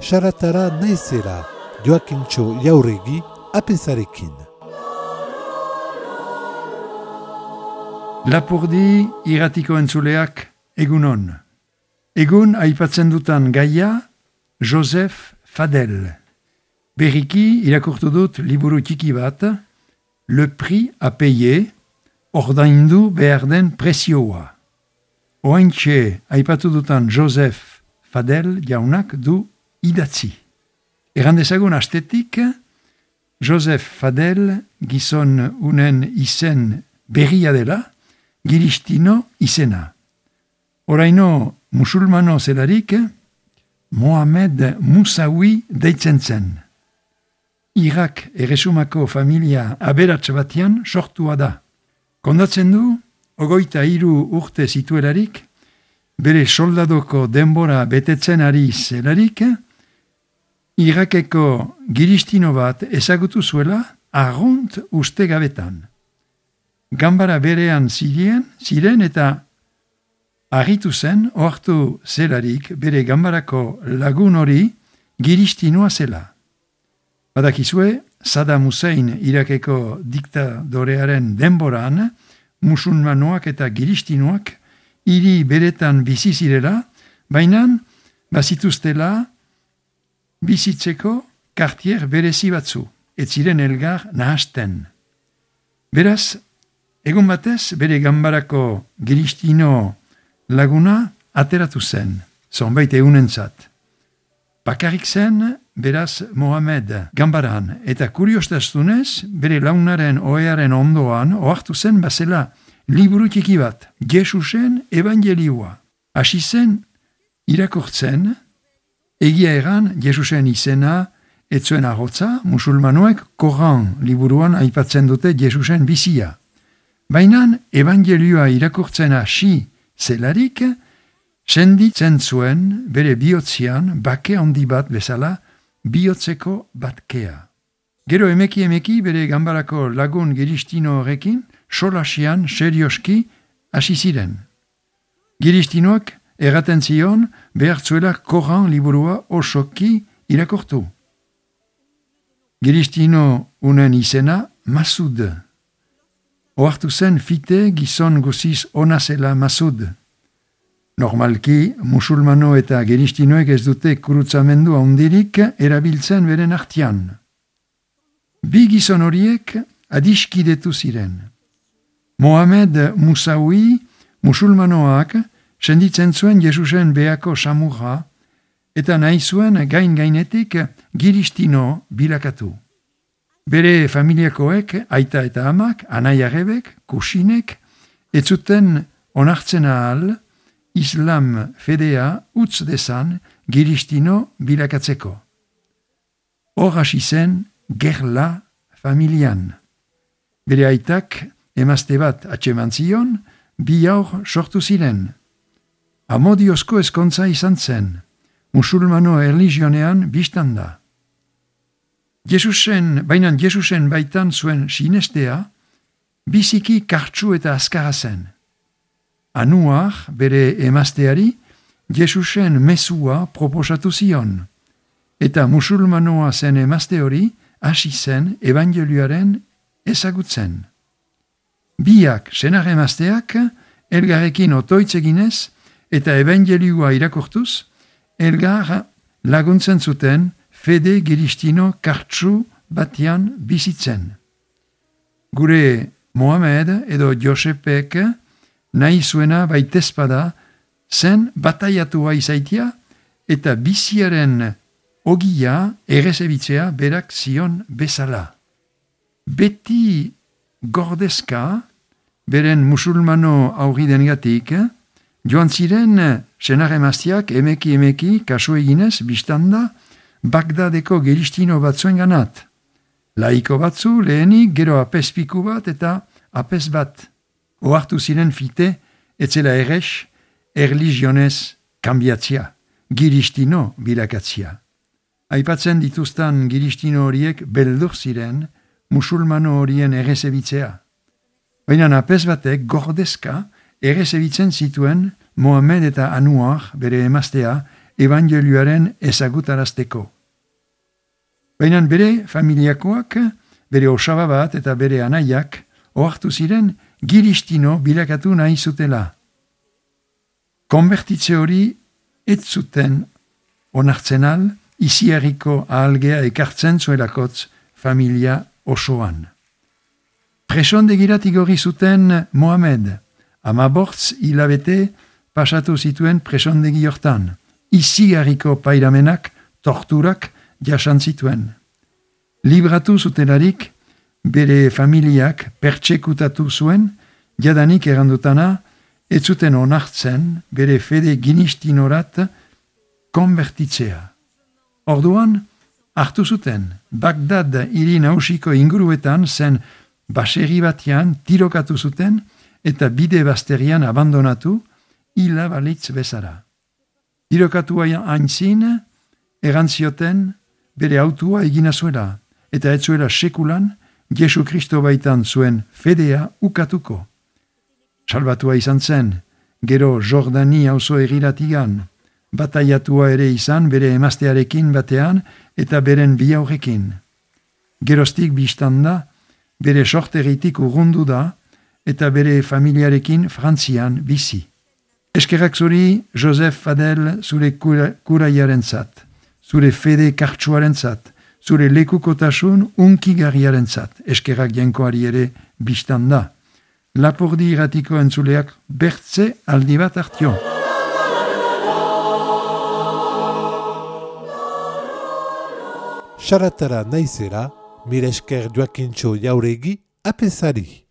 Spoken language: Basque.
Saratara naizela, Joakintxo Jauregi, apezarekin. Lapurdi irratiko entzuleak egunon. Egun aipatzen dutan gaia Joseph Fadel. Berriki irakurtu dut liburu txiki bat, Le Prix à payer, ordaindu behar den prezioa. Oaintxe aipatu dutan Joseph Fadel jaunak du idatzi. Errandezagun astetik, Joseph Fadel gizon unen izen berria dela, Giristino izena. Oraino musulmano zelarik, Mohamed Moussaoui deitzen zen. Irak erresumako familia aberats batean sortua da. Kondatzen du, 23 urte zituelarik, bere soldadoko denbora betetzen ari zelarik, Irakeko Giristino bat ezagutu zuela arrunt uste gabetan. Ganbara berean ziren eta argitu zen ohartu zelarik bere ganbarako lagun hori Giristinoa zela. Badakizue, Saddam Hussein Irakeko diktadorearen denboran, musulmanoak eta Giristinoak hiri beretan bizi zirela, baina bazituztela bizitzeko kartier berezi batzu, ez ziren elgar nahasten. Beraz, egun batez, bere ganbarako Giristino laguna ateratu zen, zonbait egunentzat. Bakarrik zen, beraz, Mohamed ganbaran, eta kuriostaztunez, bere launaren ohearen ondoan, ohartu zen bazela liburu txiki bat, Jesusen evangelioa. Hasi zen, irakurtzen, egia eran, Jesusen izena, etzuen arrotza, musulmanoek Koran liburuan aipatzen dute Jesusen bizia. Baina evangelioa irakurtzen hasi zelarik, senditzen zuen bere bihotzian bake handi bat bezala bihotzeko batkea. Gero emeki bere ganbarako lagun Giristino horrekin solasian serioski hasi ziren. Giristinoak erraten zion behartzuela Koran liburua osoki irakurtu. Giristino unen izena Masud. Ohartu zen fite gizon guziz ona zela Masud. Normalki, musulmano eta Giristinoek ez dute kurutzamendu handirik erabiltzen beren artean. Bi gizon horiek adiskidetu ziren. Mohamed Moussaoui musulmanoak senditzen zuen Jesusen beako samurra eta nahi zuen gainetik Giristino bilakatu. Bere familiakoek, aita eta amak, anaiarebek, kusinek, ez zuten onartzen ahal Islam fedea utz dezan Giristino bilakatzeko. Hor hasi zen gerla familian. Bere aitak emazte bat atseman zion, bi haur sortu ziren. Amodiozko ezkontza izan zen, musulmano erlijionean biztan da. Baina Jesusen baitan zuen sinestea, biziki kartsu eta azkara zen. Anuar, bere emazteari, Jesusen mesua proposatu zion, eta musulmanoa zen emazte hori hasi zen evangelioaren ezagutzen. Biak senar emazteak elgarrekin otoitzeginez eta evangelioa irakurtuz, elgar laguntzen zuten fede Giristino kartsu batian bizitzen. Gure Mohamed edo Josepek nahi zuena baitezpada zen bataiatua izaitia eta biziaren ogia errezebitzea berak zion bezala. Beti gordezka, beren musulmano aurridengatik, joan ziren senar emaztiak emeki kasu eginez biztanda Bagdadeko Giristino batzuen ganat. Laiko batzu lehenik gero apespiku bat eta apes bat. Ohartu ziren fite, etzela errex, erlijionez kambiatzia, Giristino bilakatzia. Aipatzen dituztan Giristino horiek beldur ziren musulmano horien errezebitzea. Baina apes batek gordezka errezebitzen zituen Mohamed eta Anuar bere emaztea evangelioaren ezagutarazteko. Baina bere familiakoak, bere osaba bat eta bere anaiak, ohartu ziren giristino bilakatu nahi zutela. Konbertitze hori ez zuten onartzen al, iziarriko ahalgea ekartzen zuelakotz familia osoan. Presondegirat igorri zuten Mohamed, 15 hilabete pasatu zituen presondegi hortan, iziarriko pairamenak, torturak jasan zituen. Libratu zutelarik, bere familiak pertsekutatu zuen, jadanik errandutana, ez zuten onartzen bere fede ginistinorat konbertitzea. Orduan, hartu zuten, Bagdad hiri nausiko inguruetan zen baserri batean tirokatu zuten eta bide bazterian abandonatu hila balitz bezara. Tirokatua aintzin, erantzioten bere autua egina zuela eta ez zuela sekulan Jesu Kristo baitan zuen fedea ukatuko. Salbatua izan zen, gero Jordani auzo egiratigan, bataiatua ere izan bere emaztearekin batean eta beren bi aurrekin. Geroztik biztanda, bere sorteritik urrundu da eta bere familiarekin Frantzian bizi. Eskerrak zuri, Joseph Fadel, zure kuraiaren zat, zure fede kartsuaren zat, zure lekukotasun unkigarriaren zat, eskerrak jenkoari ere biztanda. Lapurdi irratiko entzuleak bertze aldi bat hartio. Saratara naizera, mire esker Joakintxo Jauregi apesari.